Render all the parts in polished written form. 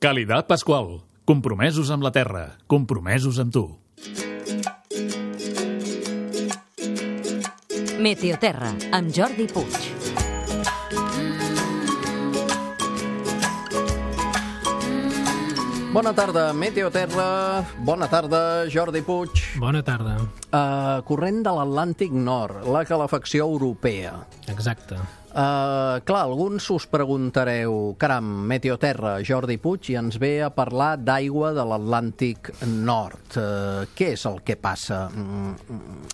Calidad Pascual. Compromesos amb la terra. Compromesos amb tu. Meteoterra, amb Jordi Puig. Bona tarda, Meteoterra. Bona tarda, Jordi Puig. Bona tarda. Corrent de l'Atlàntic Nord, la calefacció europea. Exacte. Clar, alguns us preguntareu, caram, Meteoterra, Jordi Puig, i ens ve a parlar d'aigua de l'Atlàntic Nord. Què és el que passa?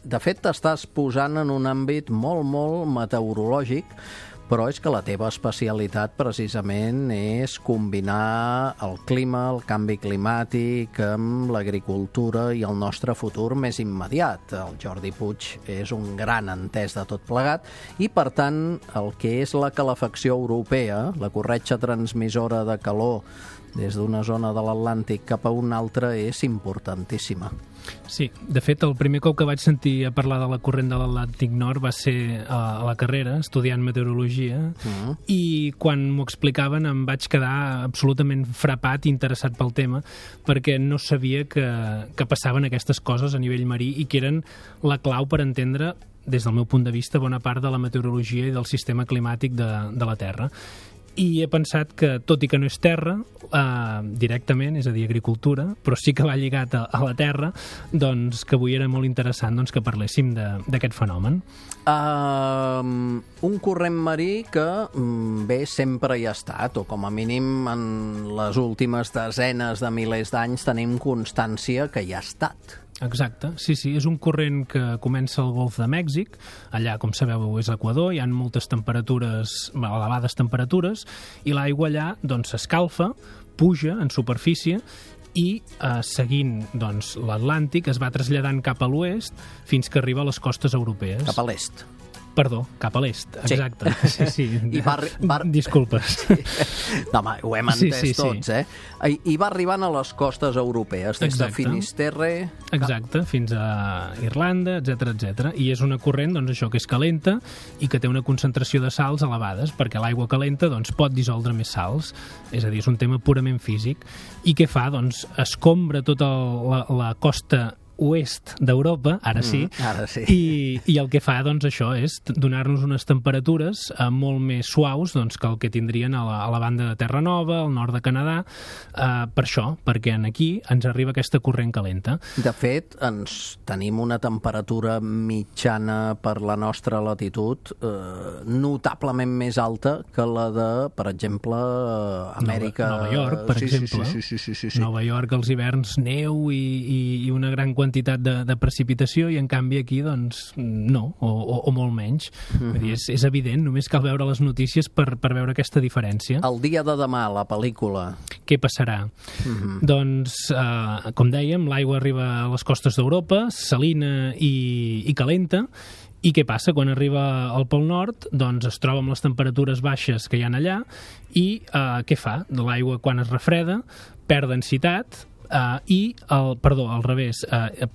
De fet, t'estàs posant en un àmbit molt meteorològic, però és que la teva especialitat precisament és combinar el clima, el canvi climàtic amb l'agricultura i el nostre futur més immediat. El Jordi Puig és un gran entès de tot plegat i, per tant, el que és la calefacció europea, la corretja transmissora de calor des d'una zona de l'Atlàntic cap a una altra, és importantíssima. Sí, de fet, el primer cop que vaig sentir a parlar de la corrent de l'Atlàntic Nord va ser a la carrera, estudiant meteorologia, i quan m'ho explicaven em vaig quedar absolutament frapat i interessat pel tema, perquè no sabia que passaven aquestes coses a nivell marí i que eren la clau per entendre, des del meu punt de vista, bona part de la meteorologia i del sistema climàtic de la Terra. I he pensat que, tot i que no és terra, directament, és a dir, agricultura, però sí que va lligat a la terra, doncs que avui era molt interessant que parléssim d'aquest fenomen. Un corrent marí que bé sempre hi ha estat, o com a mínim en les últimes desenes de milers d'anys tenim constància que hi ha estat. Exacte, sí, és un corrent que comença al Golf de Mèxic, allà, com sabeu, és l'Equador, hi ha moltes temperatures, elevades temperatures, i l'aigua allà s'escalfa, puja en superfície i seguint l'Atlàntic es va traslladant cap a l'oest fins que arriba a les costes europees. Cap a l'est. Perdó, cap a l'est, exacte. Sí. I Disculpes. No, home, ho hem entès tots, eh? I va arribant a les costes europees, des de Finisterre... Exacte, fins a Irlanda, etc. I és una corrent, això, que és calenta i que té una concentració de sals elevades, perquè l'aigua calenta pot dissoldre més sals, és a dir, és un tema purament físic. I què fa? Escombra tota la costa oest d'Europa, ara sí, i el que fa, això, és donar-nos unes temperatures molt més suaus que el que tindrien a la banda de Terra Nova, al nord de Canadà, per això, perquè aquí ens arriba aquesta corrent calenta. De fet, tenim una temperatura mitjana per la nostra latitud notablement més alta que la de, per exemple, Amèrica... Nova York, per exemple. Sí. Nova York, als hiverns, neu i una gran quantitat de precipitació, i en canvi aquí no, o molt menys. Vull dir, és evident, només cal veure les notícies per veure aquesta diferència. El dia de demà, la pel·lícula. Què passarà? Com dèiem, l'aigua arriba a les costes d'Europa, salina i calenta. I què passa? Quan arriba al Pol Nord, es troba amb les temperatures baixes que hi ha allà i què fa? L'aigua, quan es refreda, perd densitat, al revés,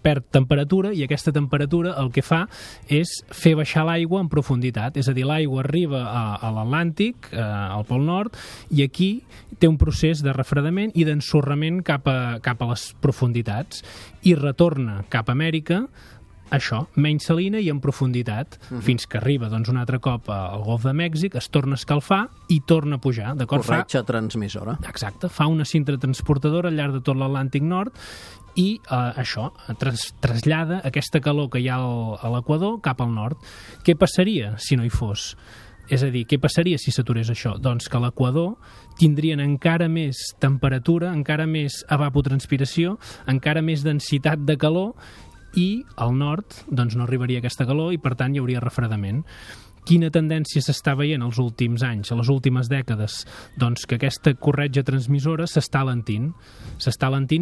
perd temperatura, i aquesta temperatura el que fa és fer baixar l'aigua en profunditat, és a dir, l'aigua arriba a l'Atlàntic, al Pol Nord, i aquí té un procés de refredament i d'ensorrament cap a les profunditats, i retorna cap a Amèrica, això, menys salina i en profunditat, fins que arriba un altre cop al Golf de Mèxic, es torna a escalfar i torna a pujar. Corretja transmissora. Exacte, fa una cinta transportadora al llarg de tot l'Atlàntic Nord i això trasllada aquesta calor que hi ha a l'Equador cap al nord. Què passaria si no hi fos? És a dir, què passaria si s'aturés això? Doncs que a l'Equador tindrien encara més temperatura, encara més evapotranspiració, encara més densitat de calor, i al nord no arribaria aquesta calor i, per tant, hi hauria refredament. Quina tendència s'està veient els últims anys, a les últimes dècades? Doncs que aquesta corretja transmissora s'està alentint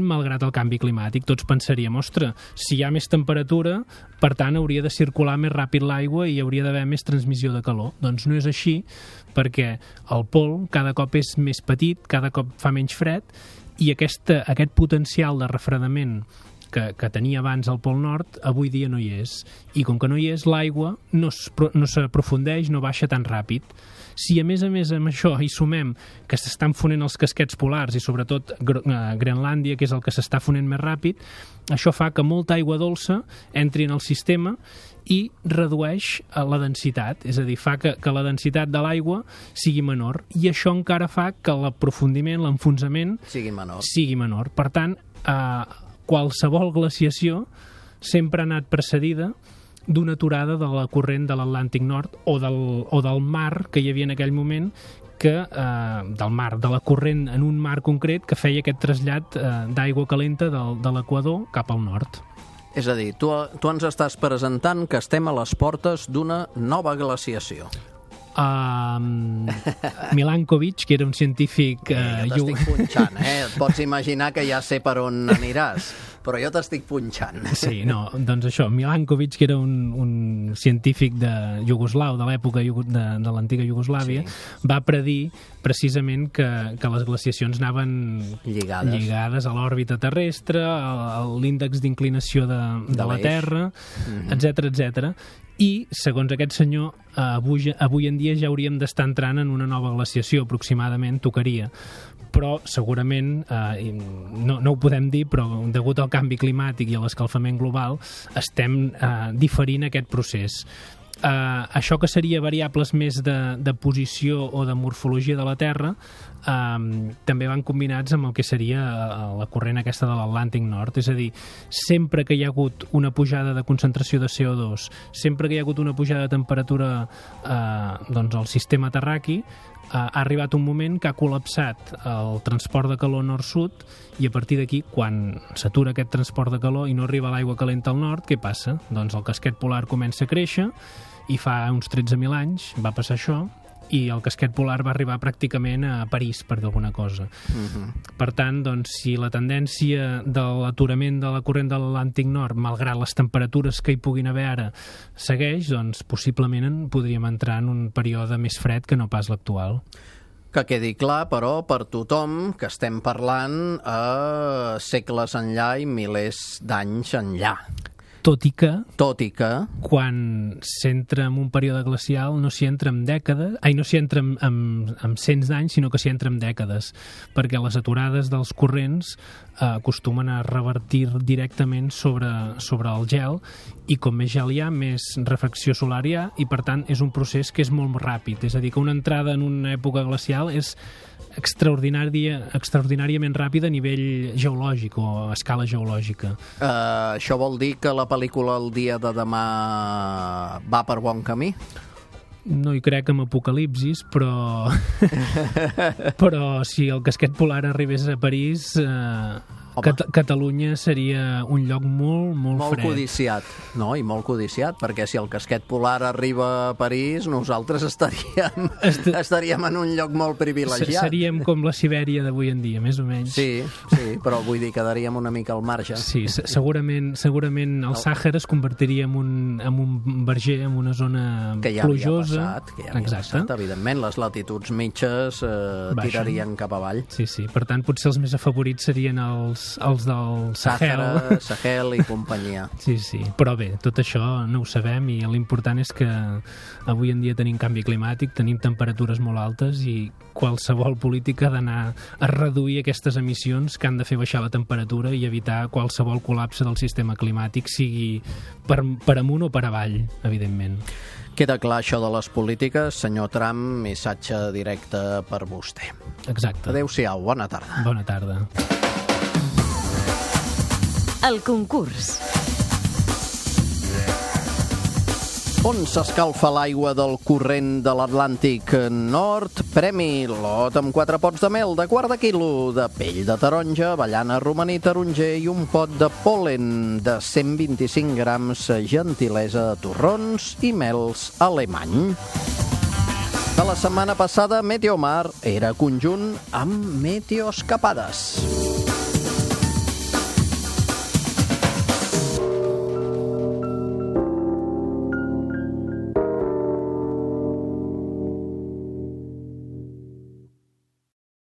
malgrat el canvi climàtic. Tots pensaríem, ostres, si hi ha més temperatura, per tant, hauria de circular més ràpid l'aigua i hi hauria d'haver més transmissió de calor. Doncs no és així, perquè el pol cada cop és més petit, cada cop fa menys fred, i aquest potencial de refredament que tenia abans al Pol Nord, avui dia no hi és. I com que no hi és, l'aigua no s'aprofundeix, no baixa tan ràpid. Si a més amb això hi sumem que s'estan fonent els casquets polars i sobretot Groenlàndia, que és el que s'està fonent més ràpid, això fa que molta aigua dolça entri en el sistema i redueix la densitat, és a dir, fa que la densitat de l'aigua sigui menor, i això encara fa que l'aprofundiment, l'enfonsament sigui menor. Per tant, qualsevol glaciació sempre ha anat precedida d'una aturada de la corrent de l'Atlàntic Nord o del mar que hi havia en aquell moment, de la corrent en un mar concret que feia aquest trasllat d'aigua calenta de l'equador cap al nord. És a dir, tu ens estàs presentant que estem a les portes d'una nova glaciació. Milankovic, que era un científic... Jo t'estic punxant, et pots imaginar que ja sé per on aniràs, però jo t'estic punxant. Sí, no, doncs això, Milankovic, que era un científic de Iugoslau, de l'època de l'antiga Iugoslàvia, va predir precisament que les glaciacions anaven lligades a l'òrbita terrestre, a l'índex d'inclinació de la Terra, etc. I, segons aquest senyor, avui en dia ja hauríem d'estar entrant en una nova glaciació, aproximadament, tocaria. Però, segurament, no ho podem dir, però degut al canvi climàtic i a l'escalfament global, estem diferint aquest procés. Això que seria variables més de posició o de morfologia de la Terra també van combinats amb el que seria la corrent aquesta de l'Atlàntic Nord, és a dir, sempre que hi ha hagut una pujada de concentració de CO2, sempre que hi ha hagut una pujada de temperatura al sistema terraqui, ha arribat un moment que ha col·lapsat el transport de calor nord-sud, i a partir d'aquí, quan s'atura aquest transport de calor i no arriba l'aigua calenta al nord, què passa? Doncs el casquet polar comença a créixer, i fa uns 13.000 anys va passar això, i el casquet polar va arribar pràcticament a París, per dir alguna cosa. Per tant, doncs, si la tendència de l'aturament de la corrent de l'Atlàntic Nord, malgrat les temperatures que hi puguin haver ara, segueix, doncs possiblement podríem entrar en un període més fred que no pas l'actual. Que quedi clar, però, per tothom que estem parlant a segles enllà i milers d'anys enllà. Tot i que quan s'entra en un període glacial no s'hi entra en dècades, no s'hi entra en cents d'anys, sinó que s'hi entra en dècades, perquè les aturades dels corrents acostumen a revertir directament sobre el gel, i com més gel hi ha, més refracció solar hi ha, i per tant és un procés que és molt ràpid. És a dir, que una entrada en una època glacial és extraordinàriament ràpida a nivell geològic o a escala geològica. Això vol dir que la pel·lícula El dia de demà va per bon camí? No hi crec en apocalipsis, però si el casquet polar arribés a París, Catalunya seria un lloc molt fred. Molt codiciat, no? I molt codiciat, perquè si el casquet polar arriba a París, nosaltres estaríem en un lloc molt privilegiat. Seríem com la Sibèria d'avui en dia, més o menys. Sí, però vull dir, quedaríem una mica al marge. Sí, segurament el Sàhara es convertiria en un verger, en una zona plujosa. Que ja havia passat, evidentment, les latituds mitges tirarien cap avall. Sí, per tant, potser els més afavorits serien els del Sahel i companyia. Sí, però bé, tot això no ho sabem, i l'important és que avui en dia tenim canvi climàtic, tenim temperatures molt altes, i qualsevol política ha d'anar a reduir aquestes emissions que han de fer baixar la temperatura i evitar qualsevol col·lapse del sistema climàtic, sigui per amunt o per avall, evidentment. Queda clar això de les polítiques. Senyor Trump, missatge directe per vostè. Exacte. Adéu-siau, bona tarda. Bona tarda. El concurs. On s'escalfa l'aigua del corrent de l'Atlàntic Nord? Premi lot amb 4 pots de mel de quart de quilo, de pell de taronja, avellana, romaní, taronger i un pot de pol·len de 125 grams, gentilesa de torrons i mels alemany. De la setmana passada, Meteomar era conjunt amb Meteoescapades.